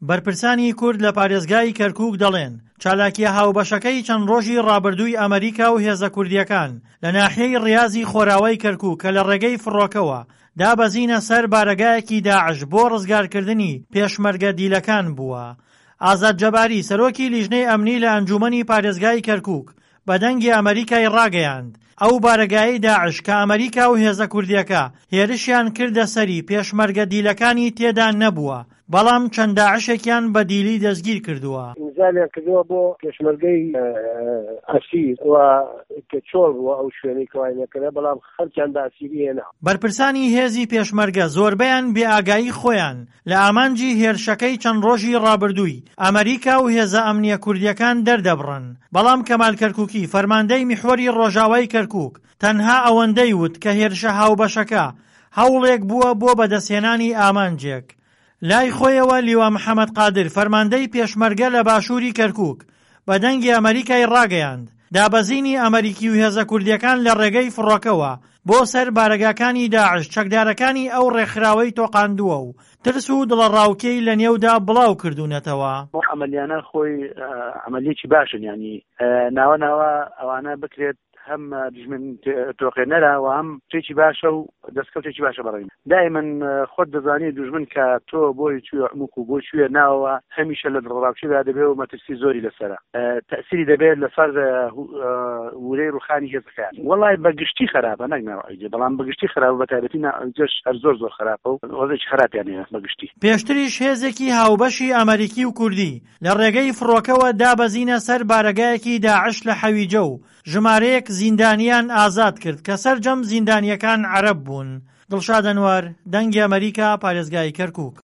بەرپرسانی کورد لە پارێزگای کەرکووک دەڵێن، چالاکییە هاوبەشەکەی چەند ڕۆژی ڕابردووی ئەمریکا و هێزە کوردییەکان لە ناحیەی ڕیازی خۆراوای کەرکووک کە لە ڕێگەی فڕۆکەوە دابەزینە سەر بارەگایەکی داعش بۆ ڕزگارکردنی پێشمەرگە دیلەکان بووە. ئازاد جەباری، سەرۆکی لیژنەی ئەمنی لە ئەنجوومەنی پارێزگای کەرکووک بە دەنگی ئەمەریکای ڕاگەیاند، ئەو بارەگایەی داعش کە ئەمەریکا و هێزە کوردییەکە هێرشیان کردە سەری پێشمەرگە دیلەکانی تێدا نەبووە، بەڵام چەند داعشێکیان بە دیلی دەستگیر کردووە. ئینزالیان کردووە بۆ پێشمەرگەی ئەسیر و کە چۆڵ بووە ئەو شوێنەی کەوای نەکرا بەڵام خەڵکیان بە ئەسیری هێنا. بەرپرسانی هێزی پێشمەرگە زۆربەیان بێ ئاگایی خۆیان لە ئامانجی هێرشەکەی چەند ڕۆژی ڕابردووی ئەمەریکا و هێزە ئەمنییە کوردییەکان دەردەبڕن، بەڵام کەمال کەرکوکی فەرماندەی میحوەری ڕۆژاوای کەرکوک تەنها ئەوەندەی وت کە هێرشە هاوبەشەکە هەوڵێک بووە بۆ بەدەستهێنانی ئامانجێک. لای خۆیەوە لیوا محەمەد قادر فەرماندەی پێشمەرگە لە باشووری کەرکوک بە دەنگی ئەمەریکای ڕاگەیاند، دابەزینی ئەمەریکی و هێزە کوردییەکان لە ڕێگەی فڕۆکەوە بۆ سەر بارەگاکانی داعش چەکدارەکانی ئەو ڕێکخراوەی تۆقاندووە و ترس و دڵەڕاوکێی لە نێودا بڵاو کردوونەتەوە. ئەو عەمەلیانە خۆی عەمەلیەکی باشن یانی ناوە ناوە ئەوانە بکرێت هەم دژمن تۆقێنەرە و هەم شتێکی باشە و دەستکەوتێکی باشە بەڕێن دائما خۆت دەزانی دوژمن کە تۆ بۆی چووە عموق و بۆی چووە ناوەوە هەمیشە لە دڵڕاوکێدا دەبێ و مەترسی زۆری لەسەرە تەسیری دەبێت لەسەر ورەی ڕوخانی هێزەکان وەڵای بە گشتی خراپە نەک ناوعیجە بەڵام بە گشتی خراپە بە تایبەتی ناوعیجەش هەر زۆر زۆر خراپە و وەزێکی خراپیان هەیە بە گشتی. پێشتریش هێزێکی هاوبەشی ئەمەریکی و کوردی لە ڕێگەی فڕۆکەوە دابەزینە سەر بارەگایەکی داعش لە حەویجە و ژمارەیەک زیندانیان ئازاد کرد کە سەرجەم زیندانییەکان عەرەب بوون. دڵشاد ئەنوەر، دەنگی ئەمەریکا، پارێزگای کەرکوک.